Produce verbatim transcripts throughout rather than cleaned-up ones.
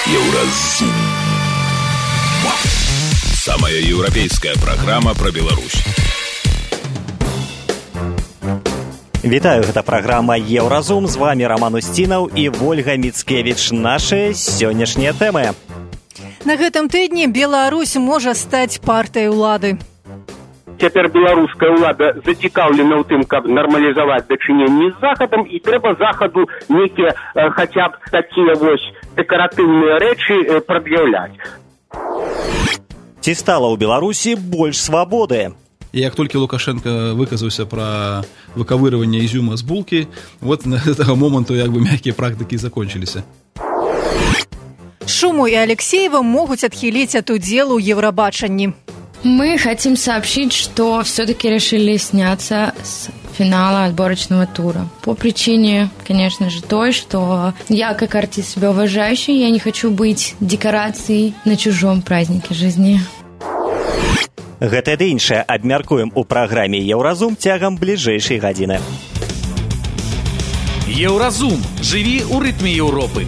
Еўразум. Самая европейская программа про Беларусь. Вітаю, гэта праграма Еўразум. З вами Роман Устінаў і Вольга Міцкевіч. Нашыя сённяшнія тэмы. На гэтым тыдні Беларусь можа стаць партыяй улады. Цяпер беларуская ўлада зацікаўлена ў тым, каб нармалізаваць дачыненні з Захадам, і трэба Захаду нейкія э, хаця б такія вось дэкаратыўныя рэчы э, прад'яўляць. Ці стала ў Беларусі больш свабоды? Як толькі Лукашенко выказаўся пра выковыривание изюма з булкі, вот на этого моменту як бы мягкие практики закончились. Шуму и Алексеева могут отхилить от удела у Евробаченни. Мы хотим сообщить, что все-таки решили сняться с финала отборочного тура. По причине, конечно же, той, что я, как артист себя уважающий, я не хочу быть декорацией на чужом празднике жизни. Гэта ды іншае абмяркуем у праграме Еўразум цягам бліжэйшай гадзіны. Еўразум. Жыві ў рытме Еўропы.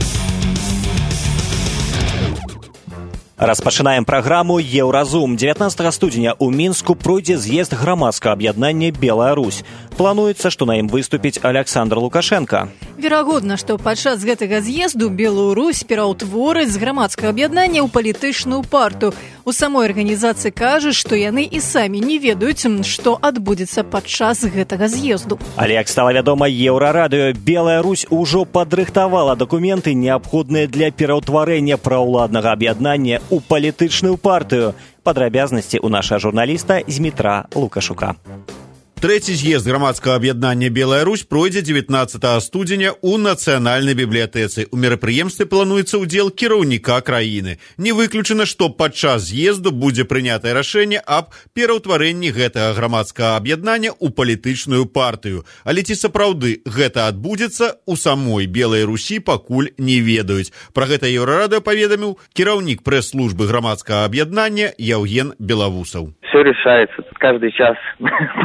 Распачынаем праграму Еўразум. дзевятнаццатага студзеня ў Мінску пройдзе з'езд грамадскага аб'яднання «Белая Русь». Плануецца, што на ім выступіць Александр Лукашенко. Верагодна, што падчас гэтага з'езду Белую Русь пераўтвораць з грамадскага аб'яднання ў палітычную парту. У самой арганізацыі кажуць, што яны і самі не ведаюць, што адбудзецца падчас гэтага з'езду. Але, як стала вядома Еўрарадыё, Белая Русь ужо падрыхтавала дакументы, неабходныя для пераўтварэння праўладнага аб'яднання у палітычную партыю. Падрабязнасці ў нашага журналіста Змітра Лукашука. Трэці з'езд грамадскага аб'яднання «Белая Русь» пройдзе дзевятнаццатага студзеня ў Нацыянальнай бібліятэцы. У мерапрыемстве плануецца ўдзел кіраўніка краіны. Не выключана, што падчас з'езду будзе прынятае рашэнне аб пераўтварэнні гэтага грамадскага аб'яднання ў палітычную партыю. Але ці сапраўды гэта адбудзецца, у самой Белай Русі пакуль не ведаюць. Пра гэта Еўрарадыё паведаміў кіраўнік прэс-службы грамадскага аб'яднання Яўген Белавусаў. Все решается каждый час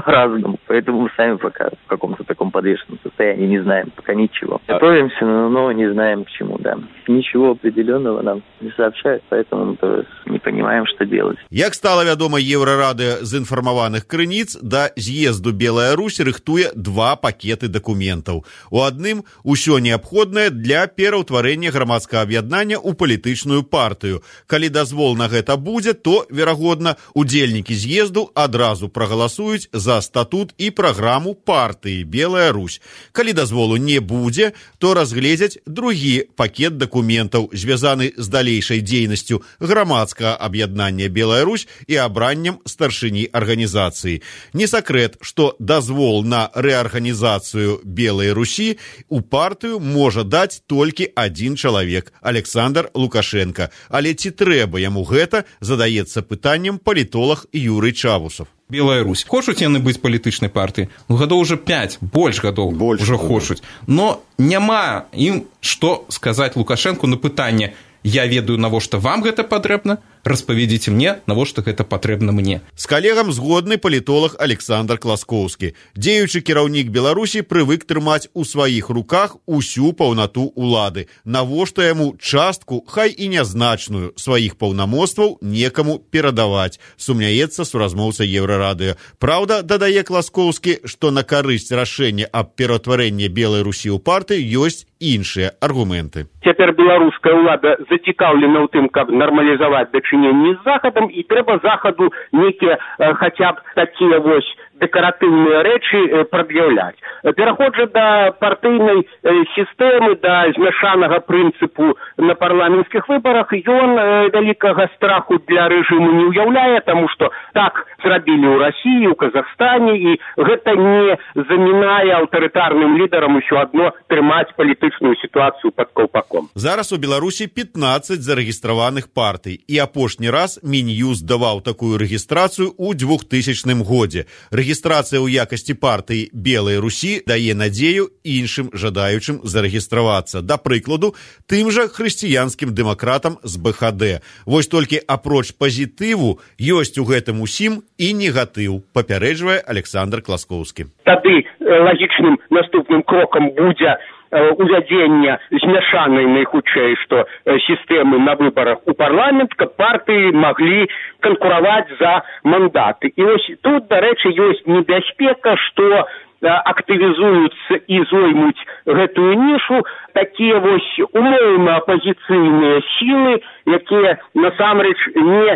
по-разному, поэтому мы сами пока в каком-то таком подвешенном состоянии не знаем пока ничего. Готовимся, но не знаем к чему, да. Ничего определенного нам не сообщают, поэтому мы тоже не понимаем, что делать. Як стала вядома Еўрарадыё з інфармаваных крыніц, да з'езду Белая Русь рыхтуе два пакеты дакументаў. У адным усё неабходнае для пераўтварэння грамадскага аб'яднання ў палітычную партыю. Калі дазвол на гэта будзе, то, верагодна, удзельнікі з'езду адразу прагаласуюць за статут і праграму партыі «Белая Русь». Калі дазволу не будзе, то разгледзяць другі пакет дакументаў, звязаны з далейшай дзейнасцю грамадскага аб'яднання «Белая Русь» і абраннем старшыні арганізацыі. Не сакрэт, што дазвол на рэарганізацыю «Белай Русі» у партыю можа даць толькі адзін чалавек – Александр Лукашенко. Але ці трэба яму гэта, задаецца пытаннем палітолог Юрый Чавусов. Белая Русь. Хочуць яны быць палітычнай партыяй? Ну, гадоў уже пять, больш гадоў больш уже хочуць. Но няма ім што сказаць Лукашенку на пытанне: я ведаю, навошта вам гэта патрэбна, распавядзіце мне, навошта гэта патрэбна мне. З калегам згодны палітолог Александр Класкоўскі. Дзеючы кіраўнік Беларусі прывык трымаць у сваіх руках усю паўнату улады. Навошта яму частку, хай і нязначную, сваіх паўнамоцтваў некаму перадаваць, сумняецца суразмоўца Еўрарадыё. Праўда, дадае Класкоўскі, што на карысць рашэння аб пераўтварэнні Белай Русі ў партыю ёсць іншыя аргументы. Цяпер беларуская ўлада зацікаўлена ў тым, каб нармалізаваць дачыненні з Захадам, і трэба Захаду нейкія э, хаця б такія вось дэкаратыўныя рэчы э, прад'яўляць. Пераходжа да партыйнай э, сістэмы, да змяшанага прынцыпу на парламенцкіх выбарах, ён э, вялікага страху для рэжыму не ўяўляе, таму што так зрабілі ў Расіі, у Казахстане, і гэта не замінае аўтарытарным лідарам усё адно трымаць палітычную сітуацыю пад каўпаком. Зараз у Беларусі пятнаццаць зарэгістраваных партый, і апошні раз Мін'юст даваў такую рэгістрацыю ў двухтысячным годзе. Рэгістрацыя ў якасці партыі «Белай Русі» дае надзею іншым жадаючым зарэгістравацца. Да прыкладу, тым жа хрысціянскім дэмакратам з бэ ха дэ. Вось толькі апроч пазітыву ёсць у гэтым усім і негатыў, папярэджвае Александр Класкоўскі. Тады лагічным наступным крокам будзе увядзення змяшанай найхутчэй, што сістэмы на выбарах у парламент, каб партыі маглі канкураваць за мандаты. І вось тут, дарэчы, ёсць небяспека, што актывізуюцца і зоймуць гэтую нішу такія вось умоўна апазіцыйныя сілы, якія насамрэч не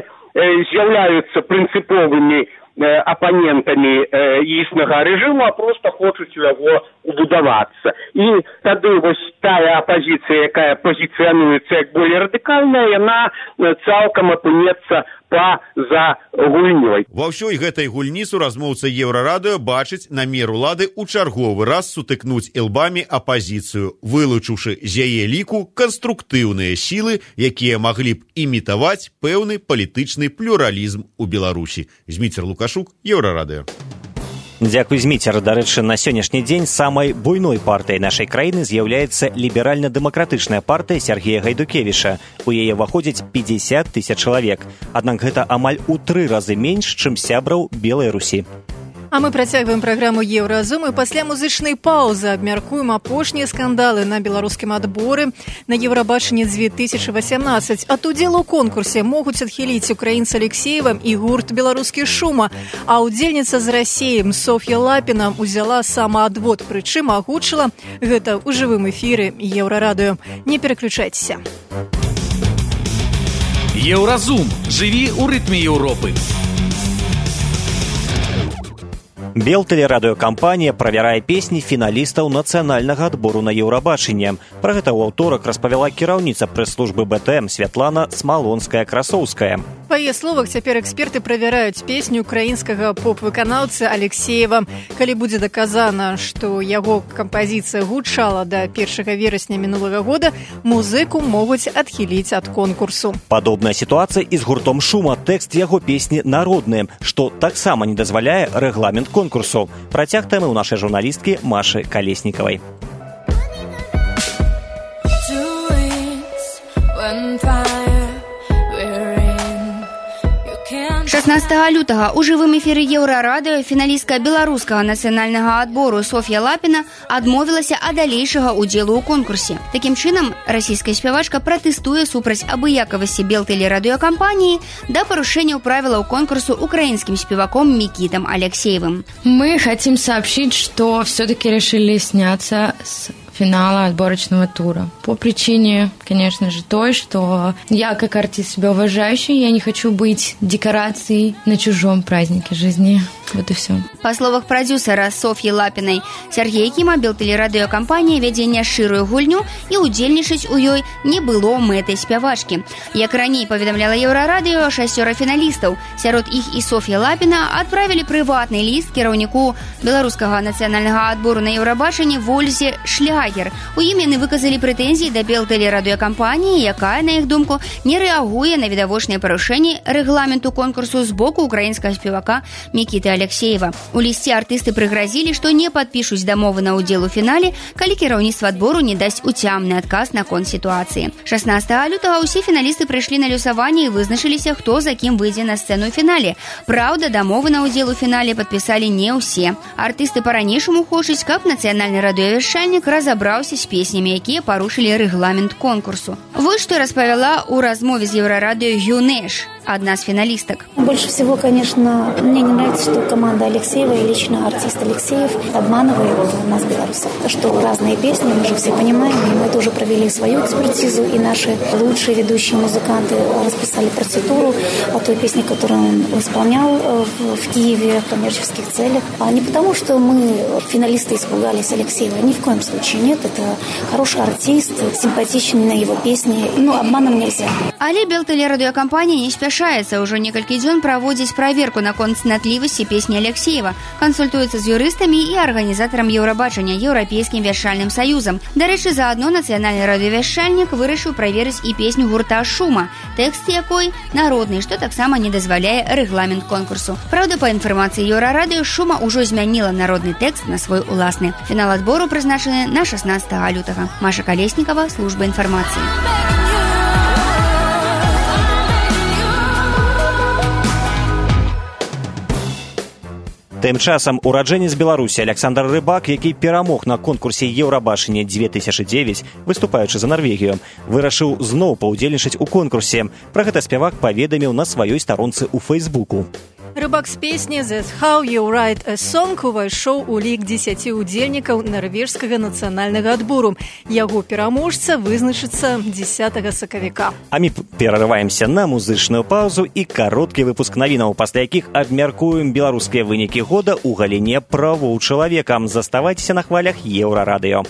з'яўляюцца прынцыповымі апанентамі існага рэжыму, а проста хочуць у яго убудавацца. І тады вось тая апазіцыя, якая пазіцыянуецца як болей радыкальная, яна цалкам апынецца па-за гульнёй. Ва ўсёй гэтай гульні суразмоўца Еўрарадыё бачыць намер улады ў чарговы раз сутыкнуць ілбамі апазіцыю, вылучыўшы з яе ліку канструктыўныя сілы, якія маглі б імітаваць пэўны палітычны плюралізм у Беларусі. Зміцер Лукашук, Еўрарадыё. Дзякуй, Зміцер. Дарэчы, на сённяшні дзень самай буйной партыяй нашай краіны з'яўляецца ліберальна-дэмакратычная партыя Сергея Гайдукевіча. У яе ўваходзіць пятьдесят тысяч чалавек. Аднак гэта амаль у тры разы менш, чым сябраў Белай Русі. А мы працягваем праграму Еўразум і пасля музычнай паўзы абмяркуем апошнія скандалы на беларускім адборы на Еўрабачанне две тысячи восемнадцать. Ад удзелу ў конкурсе могуць адхіліць украінца Алексеева і гурт «Беларускі шума», а удзельніца з Расіі Соф'я Лапіна узяла самаадвод, прычым агучыла гэта ў жывым эфіры Еўрарадыё. Не пераключайцеся. Еўразум. Жыві ў рытме Еўропы. Белтэлерадыёкампанія правярае песні фіналістаў нацыянальнага адбору на Еўрабачанне. Пра гэта ў аўторак распавяла кіраўніца прэс-службы бэ тэ эм Святлана Смалонская-Красоўская. Па яе словах, цяпер эксперты правяраюць песню украінскага поп-выканаўцы Алексеева. Калі будзе даказана, што яго кампазіцыя гучала да першага верасня мінулага года, музыку могуць адхіліць ад конкурсу. Падобная сітуацыя і з гуртом «Шума». Тэкст яго песні народны, што таксама не дазваляе рэгламент конкурсу. Працяг тэмы ў нашай журналісткі Машы Калеснікавай. шаснаццатага лютага ў жывым эфіры Еўрарадыё фіналістка беларускага нацыянальнага адбору Соф'я Лапіна адмовілася ад далейшага ўдзелу ў конкурсе. Такім чынам, расійская спявачка пратэстуе супраць абыякавасці Белтэлерадыёкампаніі да парушэнняў правілаў конкурсу украинским спеваком Микитом Алексеевым. Мы хотим сообщить, что все-таки решили сняться с финала отборочного тура. По причине, конечно же, той, что я, как артист себя уважающий, я не хочу быть декорацией на чужом празднике жизни. Вот и все. Па словах прадюсера Соф'і Лапінай, Сергей Кіма Белтэлерадыёкампанія вядзе няшчырую гульню і удзельнічаць у ёй не было мэтай спявачкі. Як раней паведамляла Еўрарадыё, шасцёра фіналістаў, сярод іх і Соф'я Лапіна, адправілі прыватны ліст кіраўніку беларускага нацыянальнага адбору на Еўрабачанне Вользе Шлягер. У ім яны выказалі прэтэнзіі да Белтэлерадыёкампаніі, якая, на іх думку, не рэагуе на відавочныя парушэнні рэгламенту конкурсу з боку украінскага спевака Мікіты Алексеева. У лісце артысты прыгразілі, што не падпішуць дамовы на ўдзел у фінале, калі кіраўніцтва адбору не дасць уцямны адказ наконт сітуацыі. шаснаццатага лютага ўсе фіналісты прыйшлі на люсаванне і вызначыліся, хто за кім выйдзе на сцэну ў фінале. Праўда, дамовы на ўдзел у фінале падпісалі не ўсе. Артысты па-ранейшаму хочуць, каб нацыянальны радыёвяшчальнік разабраўся з песнямі, якія парушылі рэгламент конкурсу. Вось што распавяла ў размове з Еўрарадыё Юнеш, одна из финалисток. Больше всего, конечно, мне не нравится, что команда Алексеева и лично артист Алексеев обманывает нас, белорусов. Что разные песни, мы же все понимаем, и мы тоже провели свою экспертизу, и наши лучшие ведущие музыканты расписали партитуру о той песне, которую он исполнял в Киеве в коммерческих целях. А не потому, что мы, финалисты, испугались Алексеева. Ни в коем случае нет. Это хороший артист, симпатичный на его песни. Ну, обманом нельзя. Але Белтэлерадыёкампанія не спяшаецца. Ўжо некалькі дзён праводзіць праверку наконт цнатлівасці песні Алексеева, кансультуецца з юрыстамі і арганізатарам Еўрабачання, Еўрапейскім вяшчальным саюзам. Дарэчы, заадно нацыянальны радыёвяшчальнік вырашыў праверыць і песню гурта «Шума», тэкст якой народны, што таксама не дазваляе рэгламент конкурсу. Праўда, па інфармацыі Еўрарадыё, «Шума» ўжо змяніла народны тэкст на свой уласны. Фінал адбору прызначаны на шаснаццатага лютага. Маша Калеснікава, служба інфармацыі. Тым часам ураджэнец Беларусі Александр Рыбак, які перамог на конкурсе Еўрабачання две тысячи девять, выступаючы за Норвегію, вырашыў зноў паўдзельнічаць у конкурсе. Пра гэта спявак паведаміў на сваёй старонцы ў Фейсбуку. Рыбак з песні «That's how you write a song» увайшоў у лік дзесяці ўдзельнікаў нарвежскага нацыянальнага адбору. Яго пераможца вызначыцца дзесятага сакавіка. А мы перарываемся на музычную паузу і кароткі выпуск навінаў, пасля якіх абмяркуем беларускія вынікі года ў галіне правоў чалавека. Заставайцеся на хвалях Еўрарадыё.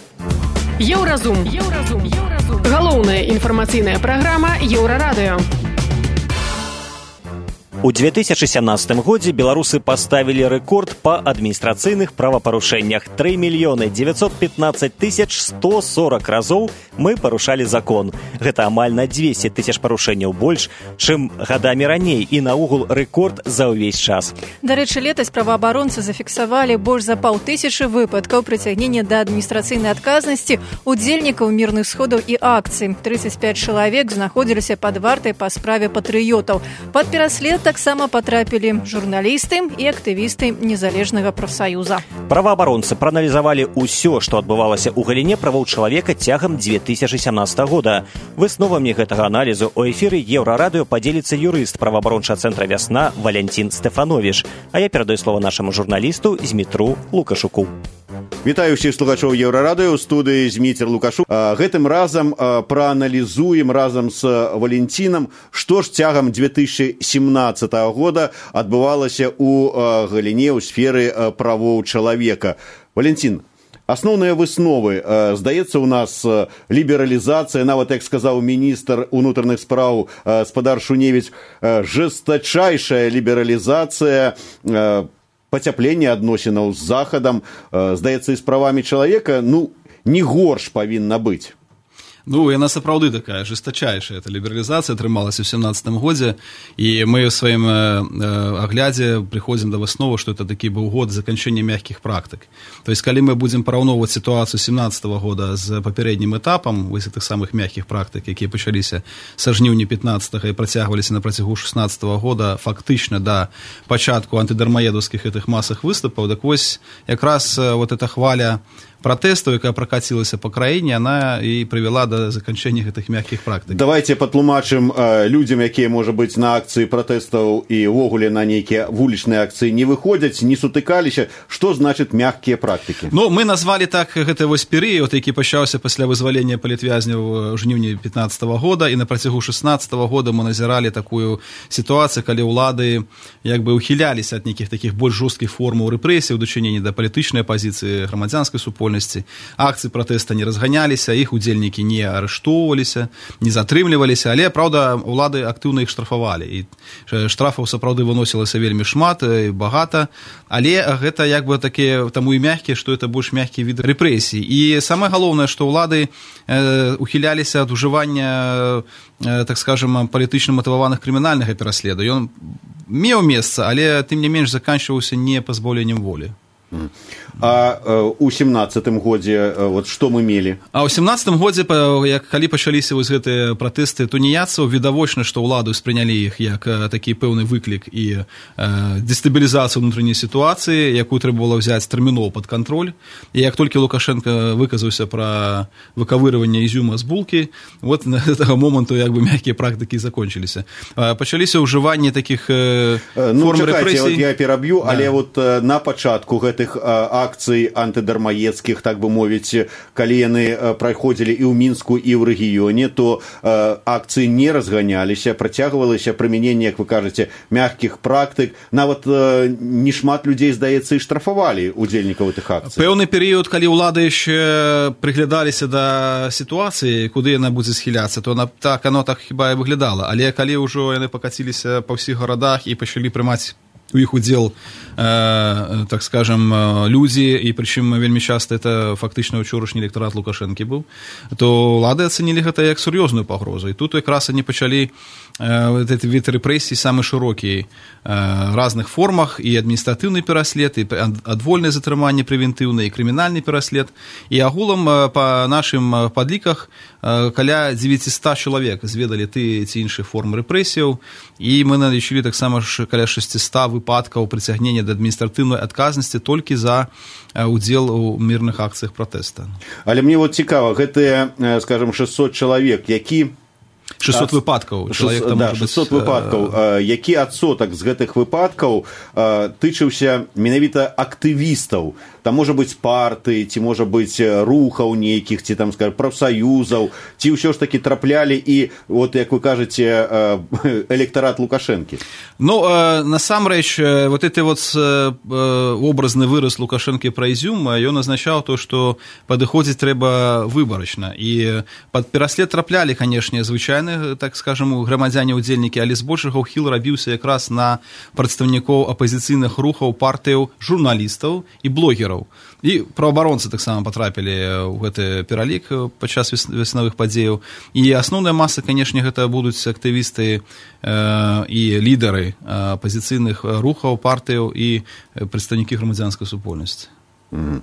Еўразум. Еўразум. Еўразум. Галоўная інфармацыйная праграма Еўрарадыё. У две тысячи семнадцатым годзе беларусы паставілі рэкорд па адміністрацыйных правапарушэннях. тры мільёны дзевяцьсот пятнадцать тысяч сто сорок разоў мы парушалі закон. Гэта амаль на двести тысяч парушэнняў больш, чым гадамі раней, і наогул рэкорд за ўвесь час. Дарэчы, летась праваабаронцы зафіксавалі больш за паўтысячы выпадкаў прыцягнення да адміністрацыйнай адказнасці удзельнікаў мірных сходаў і акцый. тридцать пять чалавек знаходзіліся пад вартай па справе патрыётаў. Пад пераслед таксама патрапілі журналісты і актывісты незалежнага прафсаюза. Праваабаронцы прааналізавалі ўсё, што адбывалася ў галіне правоў чалавека цягам две тысячи семнадцатага года. Высновамі гэтага аналізу у эфіры Еўрарадыё падзеліцца юрыст праваабарончага цэнтра «Вясна» Валянцін Стэфановіч. А я перадаю слово нашаму журналісту Змітру Лукашуку. Вітаю ўсіх слухачоў Еўрарадыё, ў студыі Зміцер Лукашук. Гэтым разам прааналізуем разам з Валянцінам, што ж цягам две тысячи семнадцатага года адбывалася ў галіне ў сферы правоў чалавека. Валянцін, асноўныя высновы, здаецца, у нас лібералізацыя, нават, як сказаў міністр унутраных спраў спадар Шуневіч, жэстачайшая лібералізацыя, пацяпленне адносінаў з захадам, здаецца, і з правамі чалавека, ну, не горш павінна быць. Ну, яна сапраўды такая жестачайшая. Эта лібералізацыя атрымалася ў семнадцатым годзе, і мы ў сваім аглядзе прыходзім да высновы, што это такі быў год заканчэння мягкіх практык. То есть, калі мы будзем параўноўваць сітуацыю семнадцатага года з папярэднім этапам вось гэтых самых мягкіх практык, якія пачаліся са жніўня пятнадцатага і працягваліся на працягу шэснаццатага года фактычна да пачатку антыдармаедаўскіх гэтых масах выступаў, так вось якраз вот эта хваля пратэстаў, якая пракацілася па краіне, она і прывяла да заканчэння гэтых мягкіх практык. Давайте патлумачым э, людзям, якія, можа быць, на акцыі пратэстаў і ўвогуле на нейкія вулічныя акцыі не выходзяць, не сутыкаліся. Што значыць мягкія практыкі? Ну, мы назвалі так гэты вось перыяд, які пачаўся пасля вызвалення палітвязняў ў жніўні пятнадцатага года, і на працягу шэснаццатага года мы назіралі такую сітуацыю, калі ўлады як бы ухіляліся ад нейкіх такіх больш жорсткіх формаў рэпрэсій у дачыненні да палітычнай апазіцыі, грамадзянскай супольнасці. Акцыі пратэста не разганяліся, іх удзельнікі не арыштоўваліся, не затрымліваліся, але, праўда, улады актыўна іх штрафавалі. І штрафаў сапраўды выносілася вельмі шмат і багата, але гэта як бы такія, таму і мягкія, што это больш мягкі від рэпрэсій. І самае галоўнае, што ўлады э, ухіляліся ад ужывання, э, так скажем, палітычна матываваных крымінальнага пераследу. Ён меў месца, але тым не менш заканчваўся не пазбаўленнем волі. А ў семнадцатым годзе вот што мы мелі? А ў семнадцатым годзе, як калі пачаліся вось гэтыя пратэсты туніяцаў, відавочна, што ўладу спрынялі іх як такі пэўны выклік і э, дэстабілізацыю ўнутранай сітуацыі, якую трэба было взяць тэрмінова пад кантроль. І як толькі Лукашенко выказаўся пра выкавырыванне ізюма з булкі, вот на гэтага моманту як бы мягкія практыкі закончыліся. Пачаліся ўжыванне такіх э, ну, форм чакайце, рэпрэсій. Вот я пераб'ю, да. Але вот на пачатку гэтых акцый антыдармаедскіх, так бы мовіць, калі яны праходзілі і ў Мінску, і ў рэгіёне, то акцыі не разганяліся, працягвалася прымяненне, як вы кажаце, мягкіх практык. Нават не шмат людзей, здаецца, і штрафавалі удзельнікаў гэтых акцый. Пэўны перыяд, калі ўлады яшчэ прыглядаліся да сітуацыі, куды яна будзе схіляцца, то на, так, оно так хіба і выглядала. Але калі ўжо яны пакаціліся па ўсіх гарадах і пачалі прымаць у іх удзел, э, так скажем, людзі, і прычым вельмі часта это фактычна ўчорашні электарат Лукашэнкі быў, то ўлады ацэнілі гэта як сур'ёзную пагрозу. І тут якраз они пачалі э, гэты від рэпрэсій самы шырокі, э, разных формах, і адміністратыўны пераслед, і адвольнае затрыманне прэвентыўнае, і крымінальны пераслед. І агулам э, па нашым падліках э, каля дзевяцьсот чалавек зведалі ты ці іншыя формы рэпрэсіяў, і мы налічылі таксама каля шэсцьсот выпадкаў прыцягнення да адміністратыўнай адказнасці толькі за удзел у мірных акцыях пратэста. Але мне вот цікава, гэтыя, скажем, шэсцьсот чалавек, які шэсцьсот выпадкаў шэсцьсот, да, шэсцьсот выпадкаў, а, які адсотак з гэтых выпадкаў а, тычыўся менавіта актывістаў, там можа быць парты, ці можа быць рухаў нейкіх, ці там, скажем, прафсаюзаў, ці ўсё ж такі траплялі і, вот як вы кажаце, электарат Лукашэнкі? Ну, насамрэч, вот гэты вот образны выраз Лукашэнкі пра Ізюм, ён азначаў то, што падыходзіць трэба выбарачна, і пад пераслед траплялі, канешне, звычайны, так скажем, грамадзяне-удзельнікі, але збольшага ўхіл рабіўся якраз на прадстаўнікоў апазіцыйных рухаў, партыяў, журналістаў і блогераў. І праваабаронцы таксама патрапілі ў гэты пералік падчас веснавых падзеяў. І асноўная маса, канешне, гэта будуць актывісты э, і лідары апазіцыйных рухаў, партыяў і прадстаўнікі грамадзянскай супольнасці. Mm.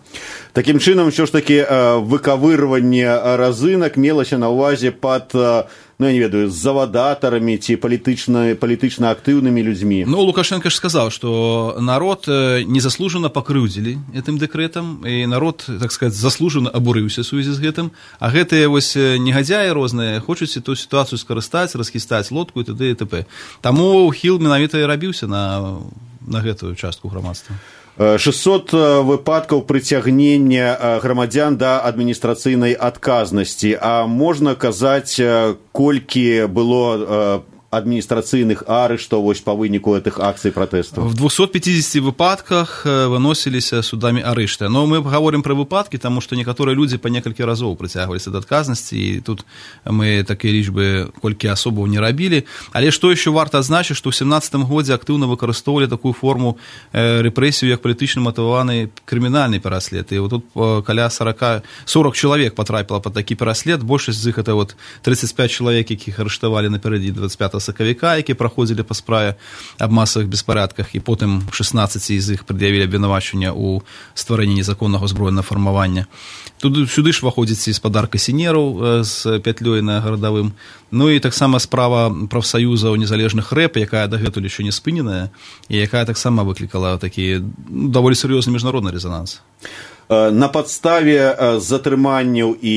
Такім чынам, ўсё ж такі выкавырванне разынак мелася на ўвазе пад, ну, я не ведаю, з завадатарамі ці палітычна, палітычна актыўнымі людзьмі. Ну, Лукашенко ж сказаў, што народ незаслужана пакрыўдзілі гэтым дэкрэтам, і народ, так сказаць, заслужана абурыўся ў сувязі з гэтым, а гэтыя вось негадзяі розныя хочуць ту сітуацыю скарыстаць, расхістаць лодку і т.д. і т.п. Таму ўхіл менавіта і рабіўся на, на гэтую частку грамадства. шэсцьсот выпадкаў прыцягнення грамадзян да адміністрацыйнай адказнасці. А можна казаць, колькі было адміністрацыйных арыштаў вось па выніку гэтых акцый пратэстаў? В двухсот пятидесяти выпадках выносіліся судамі арышты. Но мы гаворым пра выпадкі, таму што некаторыя людзі па некалькі разоў прыцягваліся да адказнасці, і тут мы такія лічбы колькі асобаў не рабілі. Але што яшчэ варта адзначыць, што ў сямнаццатым годзе актыўна выкарыстоўвалі такую форму рэпрэсію, як палітычна матываваны крымінальны пераслед. І тут каля сорок чалавек патрапіла пад такі пераслед, большасць з іх это вот тридцать пять чалавек, якіх арыштавалі напярэдадні двадцать пятага сакавіка, які праходзілі па справе аб масавых беспарадках, і потым шестнадцать з іх прад'явілі абвінавачванне ў стварэнні незаконнага ўзброенага фармавання. Тут сюды ж выходзіць і спадарка сінераў з пятлёй на гарадавым. Ну і таксама справа прафсаюзаў незалежных рэп, якая дагэтуль яшчэ не спыненая, і якая таксама выклікала такі даволі сур'ёзны міжнародны рэзананс. На падставе затрыманняў і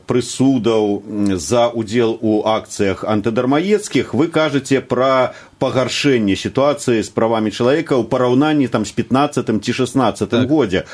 прысудаў за удзел у акцыях антыдармаедскіх вы кажаце пра пагаршэнне сітуацыі з правамі чалавека ў параўнанні там з пятнаццатым ці шестнаццатым так. годзе.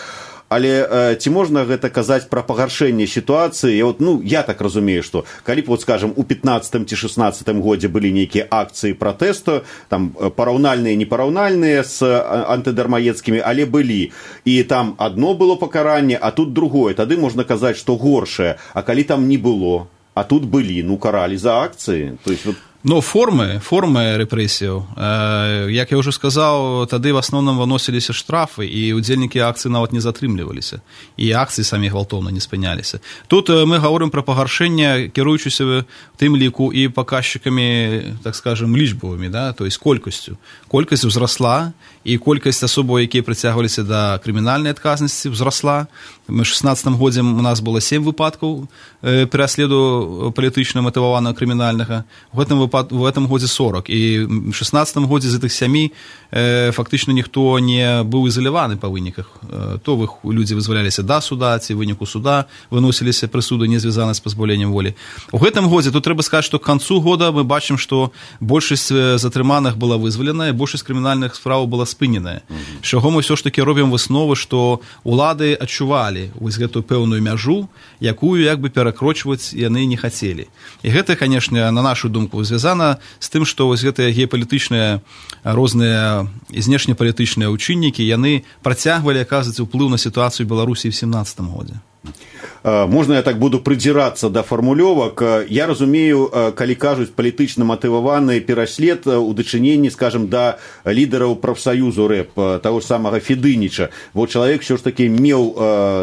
Але э, ці можна гэта казаць пра пагаршэнне сітуацыі? Вот, ну, я так разумею, што калі б, вот, скажем, у пятнаццатым ці шестнаццатым годзе былі нейкія акцыі пратэсту, там параўнальныя, непараўнальныя з антыдармаедскімі, але былі. І там адно было пакаранне, а тут другое. Тады можна казаць, што горшае. А калі там не было, а тут былі, ну, каралі за акцыі. То есть, вот... Но формы, формы рэпрэсіяў, э, як я ўжо сказаў, тады в асноўным выносіліся штрафы, і удзельнікі акцый нават не затрымліваліся, і акцыі самі гвалтоўна не спыняліся. Тут э, мы гаворым пра пагаршэнне, кіруючыся в тым ліку і паказчыкамі, так скажем, лічбавымі, да, то есть колькасцю. Колькасць узрасла, і колькасць асобаў, якія прыцягваліся да крымінальнай адказнасці, узрасла. В шестнадцатым годзе у нас было семь выпадкаў э, пераследу палітычна матываванага крымінальнага. В гэтым выпад... в этом годзе сорок. І в шестнадцатым годзе з гэтых сямі э, фактычна ніхто не быў ізаляваны па выніках. Э, то вы, людзі вызваляліся да суда, ці выніку суда выносіліся прысуды, не звязаны з пазбаўленнем волі. У гэтым годзе тут трэба сказаць, што к канцу года мы бачым, што большасць затрыманых была вызвалена, і большасць крымінальных справаў была спыненая. Mm-hmm. З чаго мы ўсё ж такі робім высновы, што улады адчувалі вось гэтую пэўную мяжу, якую як бы перакрочваць яны не хацелі. І гэта, канешне, на нашу думку, звязана з тым, што вось гэтыя геапалітычныя розныя знешнепалітычныя ўчыннікі, яны працягвалі аказваць уплыў на сітуацыю Беларусі ў семнаццатым годзе. Можна я так буду прыдзірацца да фармулёвак. Я разумею, калі кажуць палітычна матываваны пераслед у дачыненні, скажем, да лідараў прафсаюзу рэп, таго самага Федыніча. Бо чалавек ўсё ж такі меў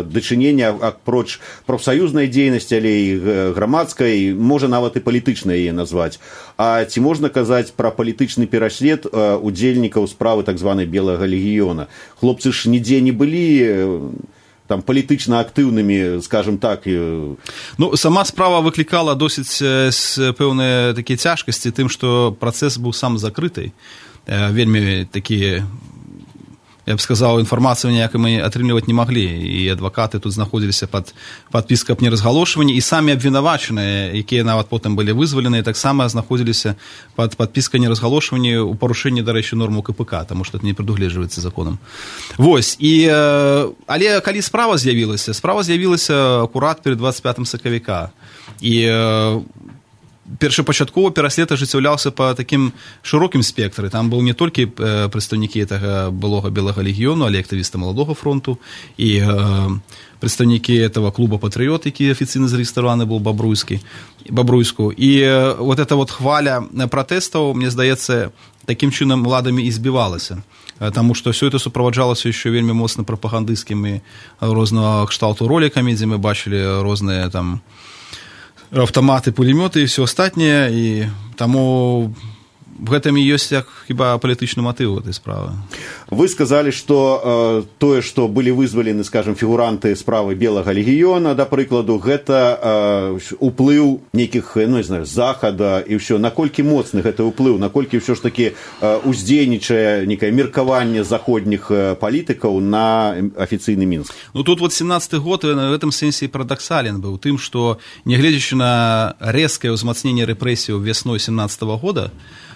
дачыненне апроч прафсаюзнай дзейнасці, але і грамадскай, можа нават і палітычнай яе назваць. А ці можна казаць пра палітычны пераслед удзельнікаў справы так званай Белага легіёна? Хлопцы ж нідзе не былі там палітычна актыўнымі, скажем так. Ну, сама справа выклікала досыць пэўныя такія цяжкасці тым, што працэс быў сам закрыты. вельмі такія, я б сказаў, інфармацыю ніякай мы атрымліваць не маглі, і адвакаты тут знаходзіліся пад падпіскай аб неразгалошванні, і самі абвінавачаныя, якія нават потым былі вызваленыя, таксама знаходзіліся пад падпіскай неразгалошванні ў парушэнні, дарэчы, норму ка пэ ка, таму што это не прадугледжваецца законам. Вось, і, але калі справа з'явілася, справа з'явілася акурат перад двадцать пятым сакавіка, і першапачаткова пераслед ажыццяўляўся па такім шырокім спектры. Там быў не толькі прадстаўнікі гэтага былога белага легіёну, але актывісты маладога фронту і э, прадстаўнікі этого клуба «Патрыёт», які афіцыйна зарэгістраваны быў Бабруйскі, Бабруйску. І э, вот эта вот хваля пратэстаў, мне здаецца, такім чынам уладамі і збівалася. Таму што ўсё это суправаджалася яшчэ вельмі моцна прапагандысцкімі рознага кшталту ролікамі, дзе мы бачылі розныя там автоматы, пулемёты и все остальное, и тому в этом и есть як хіба палітычны матыў этой справы. Вы сказали, что э, тое, что были вызвалены, скажем, фігуранты справы белага легіёна, да прыкладу, гэта э, уплыў нейкіх, ну не знаю, захада і ўсё. Наколькі моцны гэта ўплыў, наколькі ўсё ж таки э, уздзейнічае некае меркаванне заходніх э, палітыкаў на афіцыйны Мінск? Ну тут вот семнадцатый год в этом сэнсе парадоксален быў тым, што нягледзячы на рэзкае ўзмацненне рэпрэсіяў вясной семнадцатого года,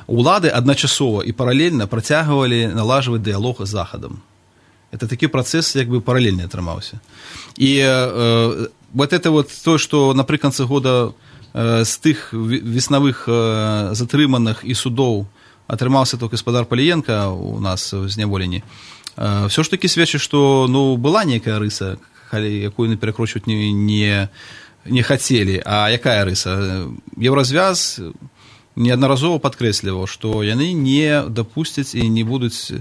улады адначасова і паралельна працягвалі налажваць дыялог з захадам. Это такі працэс як бы паралельны атрымаўся. І э, вот это вот то, што напрыканцы года э, з тых веснавых э, затрыманых і судоў атрымаўся толькі гаспадар Паліенка у нас в зняволенні, э, все ж таки сведчыць, што ну, была нейкая рыса, якую перакручваць не, не, не хацелі. А якая рыса? Еўразвяз неаднаразова падкрэсліваў, што яны не дапусцяць і не будуць,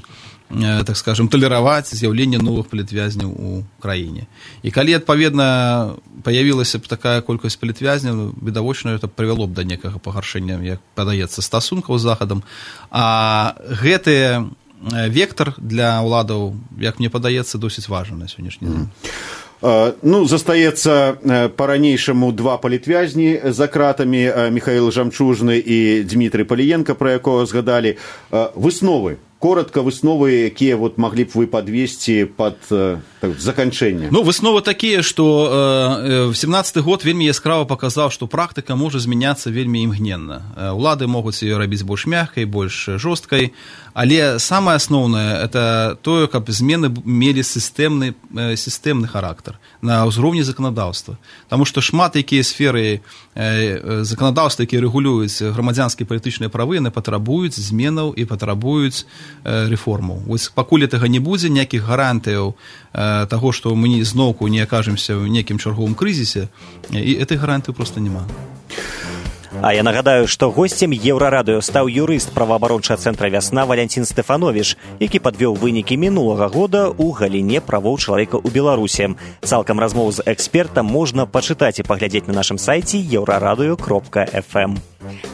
так скажем, талераваць з'яўленне новых палітвязняў у краіне. І калі, адпаведна, паявілася б такая колькасць палітвязняў, відавочна, это прывяло б да некага пагаршэння, як падаецца, стасункаў з захадам. А гэты вектор для ўладаў, як мне падаецца, досыць важны на сённяшні дзень. Ну, застаецца па-ранейшаму два палітвязні за кратамі, Михаил Жамчужны і Дмітрый Паліенка, пра якога згадалі. Высновы, коротко высновы, якія вот маглі б вы падвесці пад так, заканчэнне? Ну, высновы такія, што э, семнадцаты год вельмі яскрава паказаў, што практыка можа змяняцца вельмі імгненна. Улады могуць ее рабіць больш мяккай, больш жорсткай, але самае асноўнае это тое, каб змены мелі сістэмны, сістэмны характар на ўзроўні заканадаўства. Таму што шмат якія сферы э, заканадаўства, якія рэгулююць грамадзянскія палітычныя правы, яны патрабуюць зменаў і патрабуюць э, рэформаў. Вось пакуль гэтага не будзе, ніякіх гарантыяў э, таго, што мы зноўку не акажемся ў некім чарговым крызісе, і этой гарантыі проста няма. А я нагадаю, што госцем Еўрарадыё стаў юрыст праваабарончага цэнтра «Вясна» Валянцін Стэфановіч, які падвёў вынікі мінулага года ў галіне правоў чалавека ў Беларусі. Цалкам размову з экспертам можна пачытаць і паглядзець на нашым сайце еўрарадыё кропка эф эм.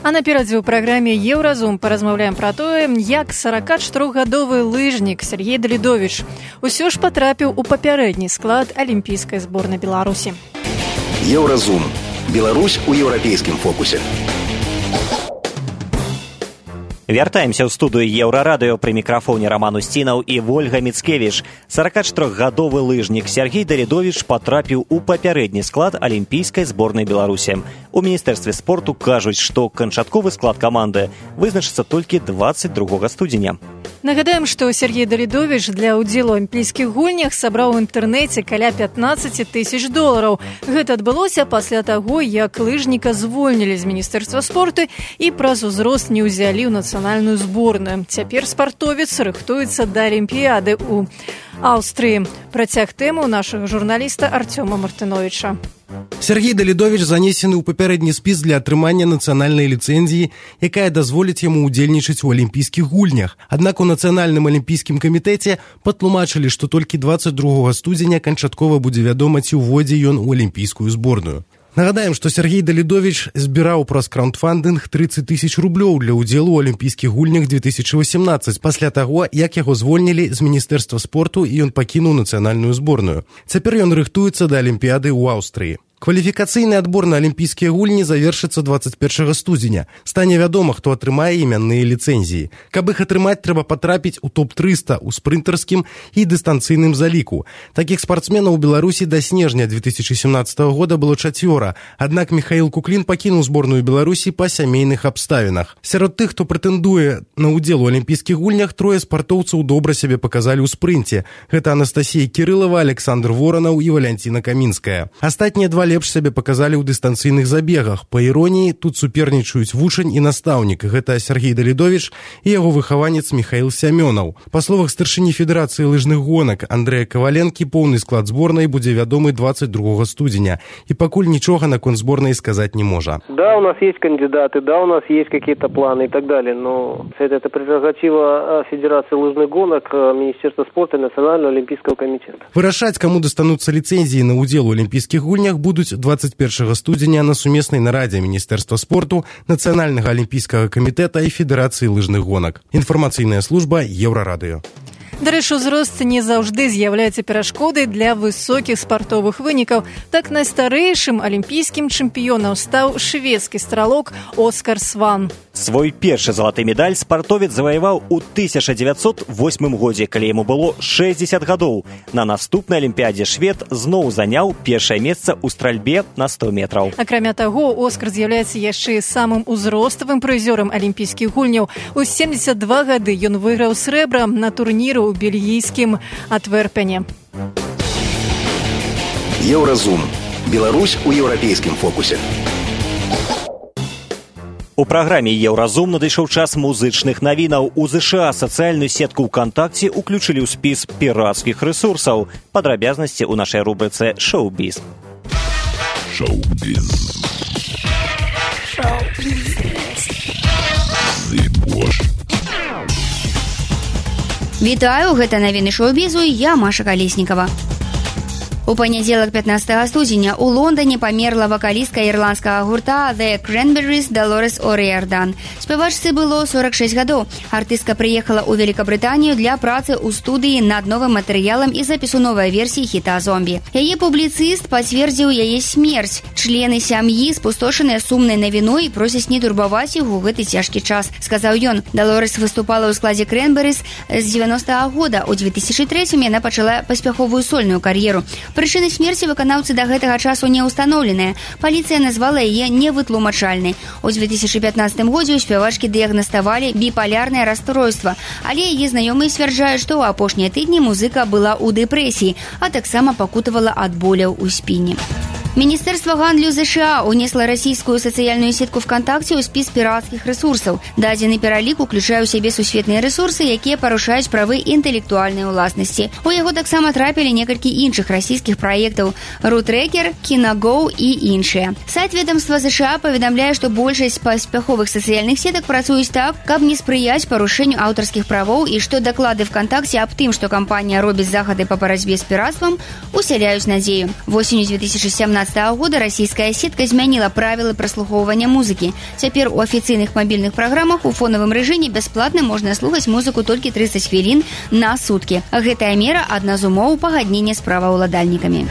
А наперадзе ў праграме «Еўразум» паразмаўляем пра тое, як сорокачатырохгадовы лыжнік Сергей Далідовіч усё ж патрапіў у папярэдні склад алімпійскай зборнай Беларусі. Еўразум. Беларусь у еўрапейскім фокусе. Вяртаемся ў студыю Еўрарадыё, пры мікрафоне Роман Усцінаў і Вольга Міцкевіч. сорокачатырохгадовы лыжнік Сергей Далідовіч патрапіў у папярэдні склад алімпійскай зборнай Беларусі. У міністэрстве спорту кажуць, што канчатковы склад каманды вызначыцца толькі двадцать другога студзеня. Нагадаем, што Сергей Далідовіч для ўдзелу ў алімпійскіх гульнях сабраў у інтэрнэце каля пятнаццаць тысяч долараў. Гэта адбылося пасля таго, як лыжніка звольнілі з міністэрства спорту і праз узрост не ўзялі ў нацыянальную зборную. Цяпер спартовец рыхтуецца да алімпіяды ў Аўстрыі. Працяг тэму нашага журналіста Артёма Мартыновіча. Сергей Далідовіч занесены ў папярэдні спіс для атрымання нацыянальнай ліцэнзіі, якая дазволіць яму ўдзельнічаць у алімпійскіх гульнях. Аднак у нацыянальным алімпійскім камітэце патлумачылі, што толькі двадцать другога студзеня канчаткова будзе вядома, ці ўвойдзе ён у алімпійскую зборную. Нагадаем, што Сергей Далідовіч збіраў праз краундфандынг тридцать тысяч рублёў для ўдзелу ў алімпійскіх гульнях две тысячи восемнадцать, пасля таго, як яго звольнілі з міністэрства спорту і ён пакінуў нацыянальную зборную. Цяпер ён рыхтуецца да алімпіяды ў Аўстрыі. Кваліфікацыйны адбор на алімпійскія гульні завершыцца двадцать першага студзеня. Стане вядома, хто атрымае імянныя ліцэнзіі. Каб іх атрымаць, трэба патрапіць у топ трыста ў спрынтарскім і дыстанцыйным заліку. Такіх спартсменаў у Беларусі да снежня две тысячи семнадцатого года было чацвёра, аднак Михаил Куклін пакінуў зборную Беларусі па сямейных абставінах. Сярод тых, хто прэтэндуе на ўдзел у алімпійскіх гульнях, трое спартоўцаў добра сябе паказалі ў спрынце. Гэта Анастасія Кірылава, Александр Воранаў і Валянціна Камінская. Астатнія два лепш сябе паказалі ў дыстанцыйных забегах. Па іроніі, тут супернічаюць вучань і настаўнік. Гэта Сергей Далідович і яго выхаванец Михаил Сямёнаў. Па словах старшыні Федэрацыі лыжных гонак Андрэя Каваленкі, поўны склад зборнай будзе вядомы двадцать другого студзеня. І пакуль нічога наконт зборнай сказаць не можа. Да, у нас есть кандидаты, да, у нас есть какие-то планы и так далее, но это, это прерогатива Федерации лыжных гонок, Министерства спорта и Национального олимпийского комитета. Вырашаць, каму дастануцца ліцэнзіі на ўдзел у алімпійскіх гульнях, будуць двадцать першага студзеня на сумеснай нарадзе Міністэрства спорту, Нацыянальнага алімпійскага камітэта і Федэрацыі лыжных гонак. Інфармацыйная служба Еўрарадыё. Дарэчы, узрост не заўжды з'яўляецца перашкодай для высокіх спартовых вынікаў. Так найстарэйшым алімпійскім чэмпіёнам стаў шведскі стралок Оскар Сван. Свой першы залаты медаль спартовец заваяваў у тысяча дзевяцьсот восьмым годзе, калі яму было шэсцьдзесят гадоў. На наступнай алімпіядзе швед зноў заняў першае месца ў стральбе на сто метраў. Акрамя таго, Оскар з'яўляецца яшчэ самым узроставым прызёрам алімпійскіх гульняў. У семьдесят два гады ён выйграў срэбра на турніру у бельгійскім Антверпене. Еўразум. Беларусь у еўрапейскім фокусе. У праграме «Еўразум» надышоў час музычных навінаў. У ЗША сацыяльную сетку ВКонтакце уключылі ў спіс пірацкіх рэсурсаў. Падрабязнасці ў нашай рубрыцы «Шоу-біз». Шоу-біз. Шоу-біз. Зыбош. Вітаю, гэта навіны шоу-бізу, я Маша Калеснікава. У панядзелак пятнадцатага студзеня у Лондоне памерла вакалістка ірландскага гурта The Cranberries Долорес О'Риардан. Спявачцы было сорок шесть гадоў. Артыстка прыехала ў Великабрытанію для працы ў студыі над новым матэрыялам і запісу новай версіі хіта «Зомбі». Яе публіцыст пацвердзіў яе смерць. Члены сям'і спустошаныя сумнай навіной просяць не турбаваць іх у гэты цяжкі час, сказаў ён. Долорес выступала ў складзе Cranberries з дзевяностага года. У две тысячи трэцім яна пачала паспяховую сольную кар'еру. Прычыны смерці выканаўцы да гэтага часу не ўстаноўленыя. Паліцыя назвала яе невытлумачальнай. У две тысячи пятнадцатым годзе ў спявачкі дыягнаставалі біпалярнае расстройства, але яе знаёмыя сцвярджаюць, што ў апошнія тыдні музыка была ў дэпрэсіі, а таксама пакутавала ад боляў у спіне. Міністэрства гандлю ЗША унесла расійскую сацыяльную сетку ВКонтакце ў спіс пірацкіх рэсурсаў. Дадзены пералік уключае ў сябе сусветныя рэсурсы, якія парушаюць правы інтэлектуальнай уласнасці. У яго таксама трапілі некалькі іншых расійскіх праектаў «Рутрекер», «Киногоу» і іншыя. Сайт ведомства ЗША паведамляе, што большасць паспяховых сацыяльных сетак працуюць так, каб не спрыяць парушэнню аўтарскіх правоў і што даклады ВКонтакце аб тым, што кампанія робіць захады па барацьбе з піратствам, усяляюць надзею. Восенню две тысячи семнадцатого года расійская сетка змяніла правілы праслухоўвання музыкі. Цяпер у афіцыйных мабільных праграмах у фонавым рэжыме бясплатна можна слухаць музыку толькі тридцать хвілін на суткі. Гэтая мера адна з умоў пагаднення з праваўладальнікамі.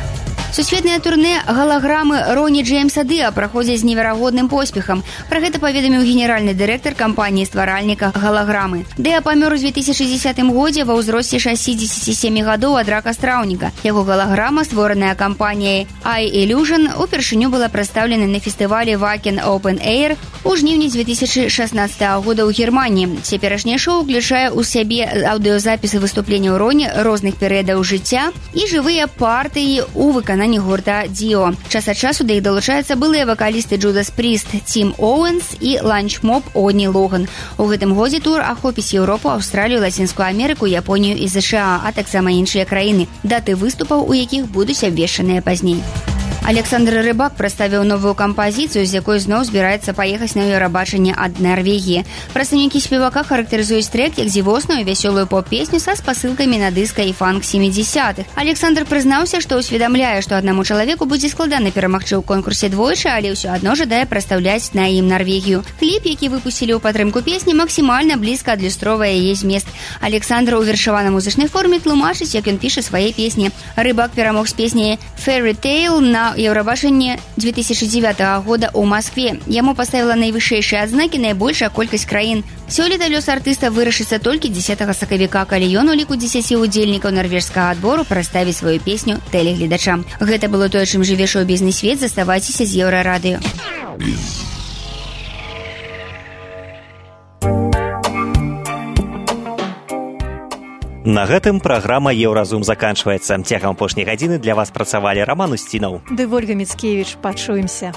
Сусветнае турне галаграмы Роні Джеймса Дыа праходзяць з неверагодным поспехам. Пра гэта паведаміў генеральны дырэктар кампаніі-стваральніка галаграмы. Дыа памёр у две тысячи десятым годзе ва ўзросце шэсцідзесяці сямі гадоў ад рака страўніка. Яго галаграма, створаная кампаніяй iIllusion, упершыню была прадстаўлена на фестывалі Wacken Open Air у жніўні две тысячи шаснаццатага года ў Германіі. Цяперашняе шоу ўключае ў сябе аўдыёзапісы выступленняў Роні розных перыядаў жыцця і жывыя партыі ў выкананні гурта Дио. Час ад часу да іх далучаюцца былыя вакалісты Judas Priest Тим Оуэнс і Ланчмоб Одні Логан. У гэтым годзе тур ахопіць Еўропу, Аўстралію, Лацінскую Амерыку, Японію і ЗША, а таксама іншыя краіны, даты выступаў у якіх будуць абвешчаныя пазней. Александр Рыбак прадставіў новую кампазіцыю, з якой зноў збіраецца паехаць на еўрабачанне ад Нарвегіі. Прадстаўнікі спевака характарызуюць трэк як дзівосную вясёлую поп-песню са спасылкамі на дыска і фанк семидесятых. Александр прызнаўся, што ўсведамляе, што аднаму чалавеку будзе складана перамагчы ў конкурсе двойчы, але ўсё адно жадае прадстаўляць на ім Нарвегію. Кліп, які выпусцілі ў падтрымку песні, максімальна блізка адлюстроўвае яе змест. Александр у вершавана-музычнай форме тлумачыць, як ён піша свае песні. Рыбак перамог з песняй «Fairy Tale» на на Евробашенне две тысячи девятого года ў Москве. Яму паставіла найвышэйшыя адзнакі найбольшая колькасць краін. Сёлета лёс артыста вырашыцца толькі дзесятага сакавіка, калі ён у ліку дзесяці удзельнікаў нарвежскага адбору прадставіць сваю песню тэлегледачам. Гэта было тое, чым жыве шоу-бізнес-свет. Заставайцеся з Еўрарадыё. На гэтым праграма «Еўразум» заканчваецца. Цягам апошняй гадзіны для вас працавалі Роман Устінаў ды Вольга Міцкевіч. Пачуемся.